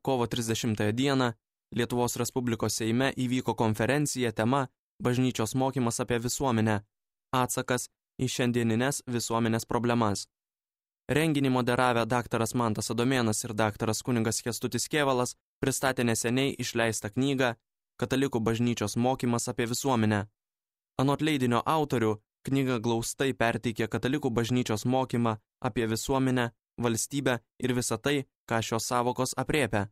kovo 30 dieną Lietuvos Respublikos Seime įvyko konferencija tema Bažnyčios mokymas apie visuomenę – atsakas į šiandieninės visuomenės problemas. Renginį moderavę daktaras Mantas Adomėnas ir daktaras kunigas Kęstutis Kėvalas pristatė neseniai išleistą knygą Katalikų bažnyčios mokymas apie visuomenę. Anot leidinio autorių, knyga glaustai perteikė katalikų bažnyčios mokymą apie visuomenę, valstybę ir visą tai, ką šios sąvokos aprėpia.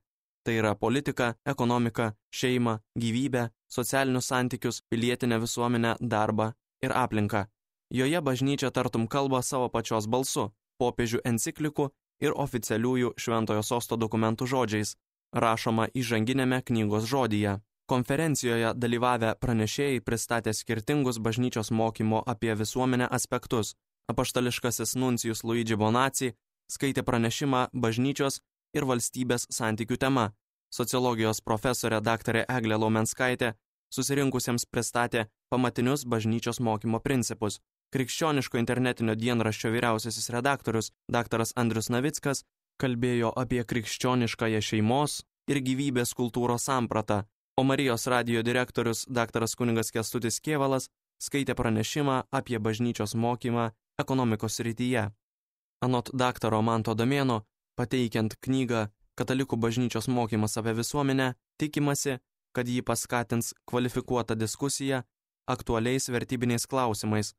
Tai yra politika, ekonomika, šeima, gyvybę, socialinius santykius, pilietinę visuomenę, darbą ir aplinką. Joje bažnyčia tartum kalba savo pačios balsu, popiežių enciklikų ir oficialiųjų Šventojo Sosto dokumentų žodžiais, rašoma įžanginėme knygos žodyje. Konferencijoje dalyvavę pranešėjai pristatė skirtingus bažnyčios mokymo apie visuomenę aspektus. Apaštališkasis nuncijus Luigi Bonacci skaitė pranešimą bažnyčios ir valstybės santykių tema. Sociologijos profesorė daktarė Eglė Laumenskaitė susirinkusiems pristatė pamatinius bažnyčios mokymo principus. Krikščioniško internetinio dienraščio vyriausiasis redaktorius daktaras Andrius Navickas kalbėjo apie krikščioniškąją šeimos ir gyvybės kultūros sampratą, o Marijos radijo direktorius daktaras kunigas Kęstutis Kėvalas skaitė pranešimą apie bažnyčios mokymą ekonomikos srityje. Anot daktaro Manto Adomėno, pateikiant knygą Katalikų bažnyčios mokymas apie visuomenę, tikimasi, kad jį paskatins kvalifikuotą diskusiją aktualiais vertybiniais klausimais,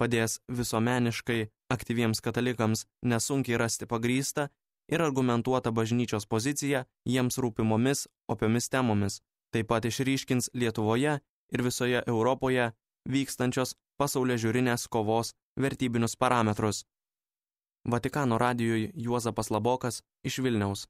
padės visuomeniškai aktyviems katalikams nesunkiai rasti pagrįstą ir argumentuotą bažnyčios poziciją jiems rūpimomis opiomis temomis, taip pat išryškins Lietuvoje ir visoje Europoje vykstančios pasaulėžiūrinės kovos vertybinius parametrus. Vatikano radijui Juozapas Labokas iš Vilniaus.